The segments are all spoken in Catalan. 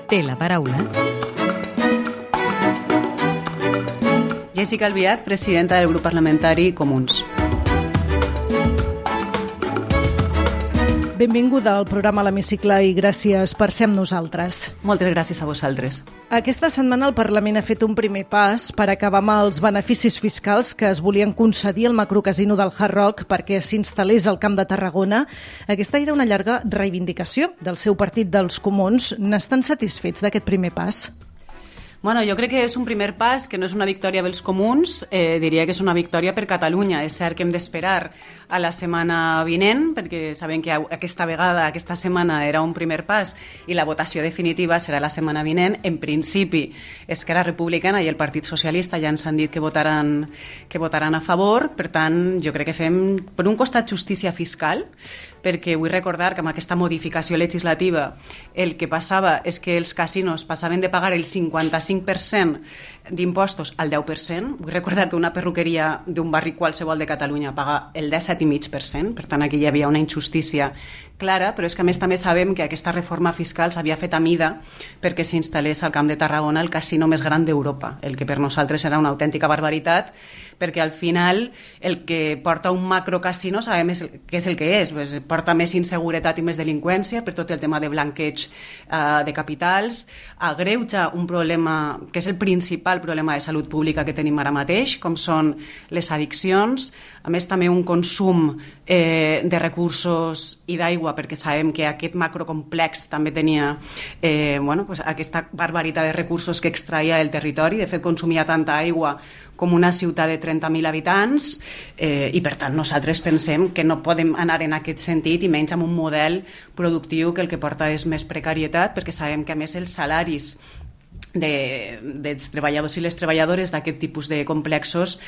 Té la paraula Jessica Albiach, presidenta del grup parlamentari Comuns. Benvinguda al programa L'Hemicicle i gràcies per ser amb nosaltres. Moltes gràcies a vosaltres. Aquesta setmana el Parlament ha fet un primer pas per acabar amb els beneficis fiscals que es volien concedir al macrocasino del Hard Rock perquè s'instal·lés al Camp de Tarragona. Aquesta era una llarga reivindicació del seu partit dels Comuns. N'estan satisfets d'aquest primer pas? Bueno, jo crec que és un primer pas, que no és una victòria dels comuns, diria que és una victòria per Catalunya. És cert que hem d'esperar a la setmana vinent, perquè sabem que aquesta setmana era un primer pas i la votació definitiva serà la setmana vinent. En principi, Esquerra Republicana i el Partit Socialista ja ens han dit que votaran a favor. Per tant, jo crec que fem, per un costat, justícia fiscal, perquè vull recordar que amb aquesta modificació legislativa el que passava és que els casinos passaven de pagar el 55% d'impostos al 10%. Vull recordar que una perruqueria d'un barri qualsevol de Catalunya paga el 17,5%, per tant aquí hi havia una injustícia clara, però és que a més també sabem que aquesta reforma fiscal s'havia fet a mida perquè s'instal·lés al Camp de Tarragona el casino més gran d'Europa, el que per nosaltres era una autèntica barbaritat, perquè al final el que porta un macrocasino sabem què és el que és, pues, porta més inseguretat i més delinqüència per tot el tema de blanqueig de capitals, agreuja un problema que és el principal problema de salut pública que tenim ara mateix, com són les addiccions, a més també un consum de recursos i d'aigua, perquè sabem que aquest macrocomplex també tenia aquesta barbaritat de recursos que extraia del territori. De fet, consumia tanta aigua com una ciutat de 30.000 habitants i per tant nosaltres pensem que no podem anar en aquest sentit i menys amb un model productiu que el que porta és més precarietat, perquè sabem que a més els salaris dels treballadors i les treballadores d'aquest tipus de complexos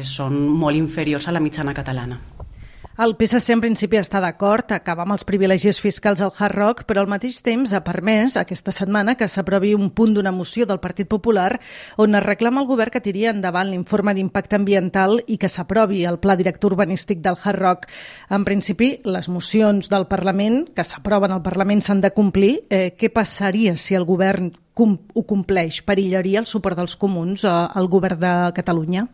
són molt inferiors a la mitjana catalana. El PSC en principi està d'acord a acabar amb els privilegis fiscals al Hard Rock, però al mateix temps ha permès aquesta setmana que s'aprovi un punt d'una moció del Partit Popular on es reclama al govern que tiri endavant l'informe d'impacte ambiental i que s'aprovi el pla director urbanístic del Hard Rock. En principi, les mocions del Parlament que s'aproven al Parlament s'han de complir. Què passaria si el govern ho compleix? Perillaria el suport dels comuns al govern de Catalunya?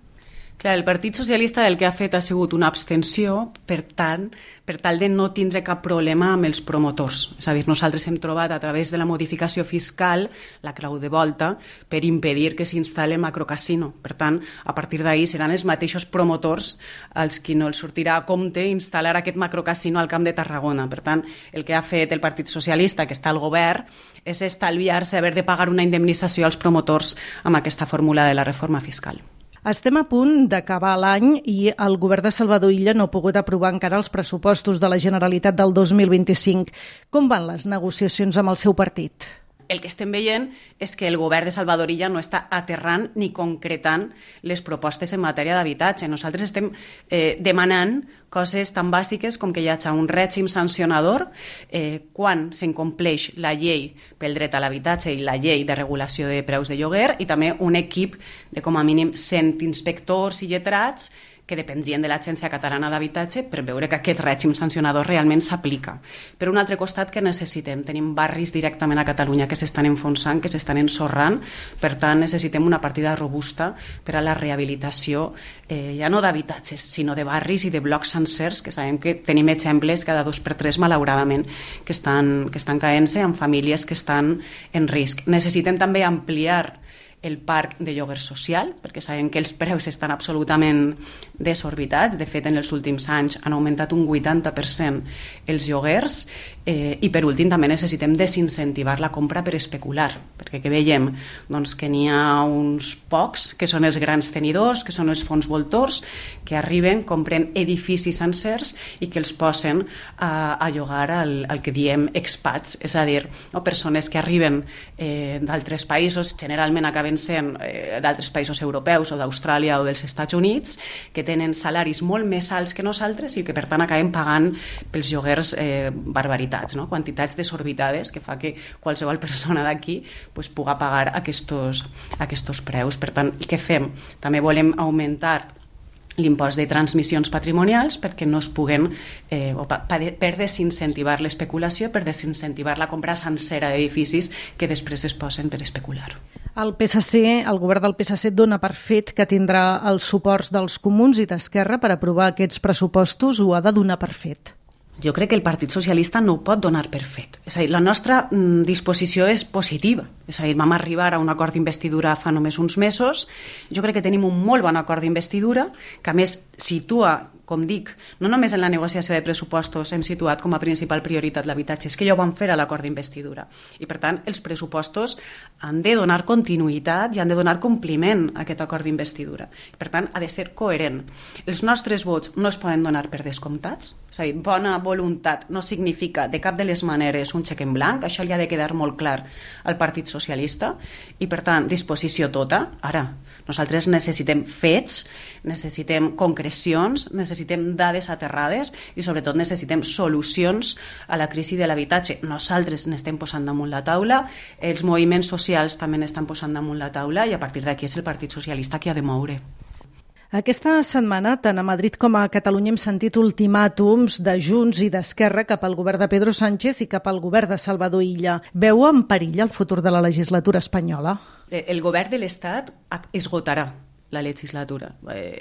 Clar, el Partit Socialista el que ha fet ha sigut una abstenció per tal de no tindre cap problema amb els promotors. És a dir, nosaltres hem trobat a través de la modificació fiscal la clau de volta per impedir que s'instal·li el macrocasino. Per tant, a partir d'ahir seran els mateixos promotors als qui no els sortirà a compte instal·lar aquest macrocasino al Camp de Tarragona. Per tant, el que ha fet el Partit Socialista, que està al govern, és estalviar-se haver de pagar una indemnització als promotors amb aquesta fórmula de la reforma fiscal. Estem a punt d'acabar l'any i el govern de Salvador Illa no ha pogut aprovar encara els pressupostos de la Generalitat del 2025. Com van les negociacions amb el seu partit? El que estem veient és que el govern de Salvador Illa no està aterrant ni concretant les propostes en matèria d'habitatge. Nosaltres estem demanant coses tan bàsiques com que hi hagi un règim sancionador quan s'incompleix la llei pel dret a l'habitatge i la llei de regulació de preus de lloguer i també un equip de com a mínim 100 inspectors i lletrats que dependrien de l'Agència Catalana d'Habitatge per veure que aquest règim sancionador realment s'aplica. Per un altre costat, que necessitem? Tenim barris directament a Catalunya que s'estan enfonsant, que s'estan ensorrant, per tant necessitem una partida robusta per a la rehabilitació ja no d'habitatges, sinó de barris i de blocs sencers, que sabem que tenim exemples cada 2 per 3, malauradament, que estan caent-se amb famílies que estan en risc. Necessitem també ampliar el parc de lloguer social, perquè sabem que els preus estan absolutament desorbitats. De fet, en els últims anys han augmentat un 80% els lloguers i, per últim, també necessitem desincentivar la compra per especular, perquè què veiem? Doncs que n'hi ha uns pocs, que són els grans tenidors, que són els fons voltors, que arriben, compren edificis sencers i que els posen a llogar al que diem expats, és a dir, persones que arriben d'altres països, generalment acaben sent d'altres països europeus o d'Austràlia o dels Estats Units, que tenen salaris molt més alts que nosaltres i que per tant acaben pagant pels lloguers barbaritats, no? Quantitats desorbitades que fa que qualsevol persona d'aquí pugui pagar aquests preus. Per tant, què fem? També volem augmentar l'impost de transmissions patrimonials perquè no es puguen, per desincentivar l'especulació, per desincentivar la compra sencera d'edificis que després es posen per especular. El govern del PSC dona per fet que tindrà els suports dels comuns i d'Esquerra per aprovar aquests pressupostos, o ha de donar per fet? Jo crec que el Partit Socialista no ho pot donar per fet. És a dir, la nostra disposició és positiva. És a dir, vam arribar a un acord d'investidura fa només uns mesos. Jo crec que tenim un molt bon acord d'investidura, que a més situa, com dic, no només en la negociació de pressupostos hem situat com a principal prioritat l'habitatge, és que ja ho vam fer a l'acord d'investidura. I per tant, els pressupostos han de donar continuïtat i han de donar compliment a aquest acord d'investidura. Per tant, ha de ser coherent. Els nostres vots no es poden donar per descomptats. És a dir, bona voluntat no significa de cap de les maneres un xec en blanc, això li ha de quedar molt clar al Partit Socialista, i per tant, disposició tota. Ara, nosaltres necessitem fets, necessitem concrecions, necessitem dades aterrades i sobretot necessitem solucions a la crisi de l'habitatge. Nosaltres n'estem posant damunt la taula, els moviments socials també n'estan posant damunt la taula i a partir d'aquí és el Partit Socialista qui ha de moure. Aquesta setmana, tant a Madrid com a Catalunya, hem sentit ultimàtums de Junts i d'Esquerra cap al govern de Pedro Sánchez i cap al govern de Salvador Illa. Veu en perill el futur de la legislatura espanyola? El govern de l'Estat esgotarà la legislatura.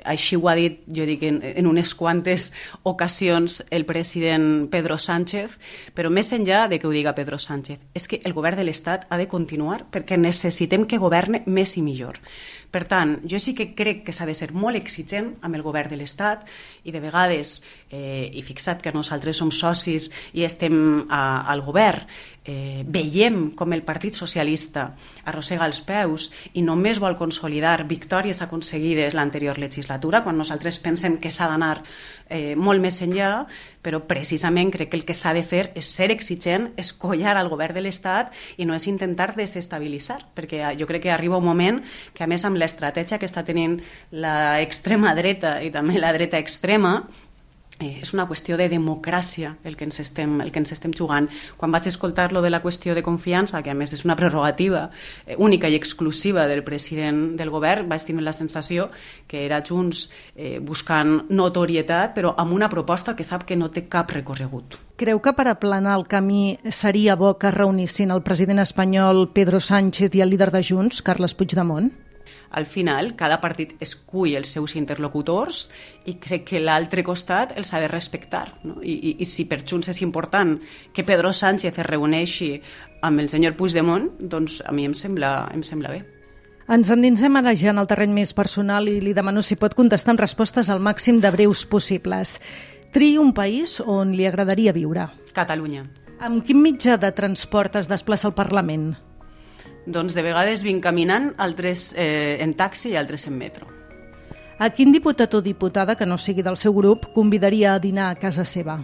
Així ho ha dit, jo dic, en unes quantes ocasions el president Pedro Sánchez, però més enllà de que ho diga Pedro Sánchez, és que el govern de l'Estat ha de continuar perquè necessitem que governe més i millor. Per tant, jo sí que crec que s'ha de ser molt exigent amb el govern de l'Estat i de vegades, i fixa't que nosaltres som socis i estem al govern, veiem com el Partit Socialista arrossega els peus i només vol consolidar victòries aconseguides l'anterior legislatura, quan nosaltres pensem que s'ha d'anar molt més enllà, però precisament crec que el que s'ha de fer és ser exigent, és collar al govern de l'Estat i no és intentar desestabilitzar, perquè jo crec que arriba un moment que, a més, amb l'estratègia que està tenint l'extrema dreta i també la dreta extrema, és una qüestió de democràcia el que ens estem jugant. Quan vaig escoltar lo de la qüestió de confiança, que a més és una prerrogativa única i exclusiva del president del govern, vaig tenir la sensació que era Junts buscant notorietat, però amb una proposta que sap que no té cap recorregut. Creu que per aplanar el camí seria bo que reunissin el president espanyol Pedro Sánchez i el líder de Junts, Carles Puigdemont? Al final, cada partit escull els seus interlocutors i crec que l'altre costat els ha de respectar. No? I si per Junts és important que Pedro Sánchez es reuneixi amb el senyor Puigdemont, doncs a mi em sembla bé. Ens endinsem ara ja en el terreny més personal i li demano si pot contestar amb respostes al màxim de breus possibles. Triï un país on li agradaria viure. Catalunya. Amb quin mitjà de transport es desplaça al Parlament? Doncs de vegades vinc caminant, altres en taxi i altres en metro. A quin diputat o diputada que no sigui del seu grup convidaria a dinar a casa seva?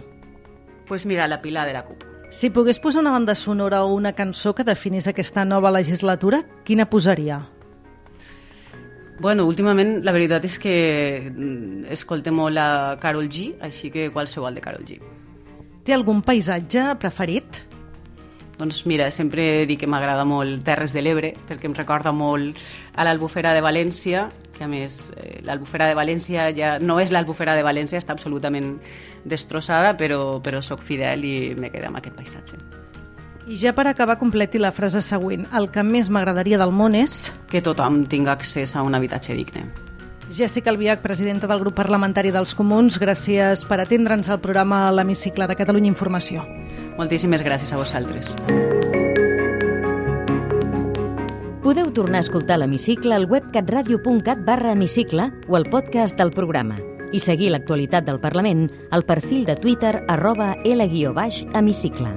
Pues mira, la Pilar de la CUP. Si pogués posar una banda sonora o una cançó que definís aquesta nova legislatura, quina posaria? Bueno, últimament la veritat és que escoltem molt la Karol G, així que qualsevol de Karol G. Té algun paisatge preferit? Doncs mira, sempre dic que m'agrada molt Terres de l'Ebre, perquè em recorda molt a l'Albufera de València, que a més l'Albufera de València ja no és l'Albufera de València, està absolutament destrossada, però soc fidel i me quedo amb aquest paisatge. I ja per acabar, completi la frase següent. El que més m'agradaria del món és... Que tothom tingui accés a un habitatge digne. Jèssica Albiach, presidenta del grup parlamentari dels Comuns, gràcies per atendre'ns al programa L'Hemicicle de Catalunya Informació. Moltíssimes gràcies a vosaltres. Podeu tornar a escoltar l'Hemicicle al web catradio.cat/hemicicle o al podcast del programa i seguir l'actualitat del Parlament al perfil de Twitter @L_hemicicle.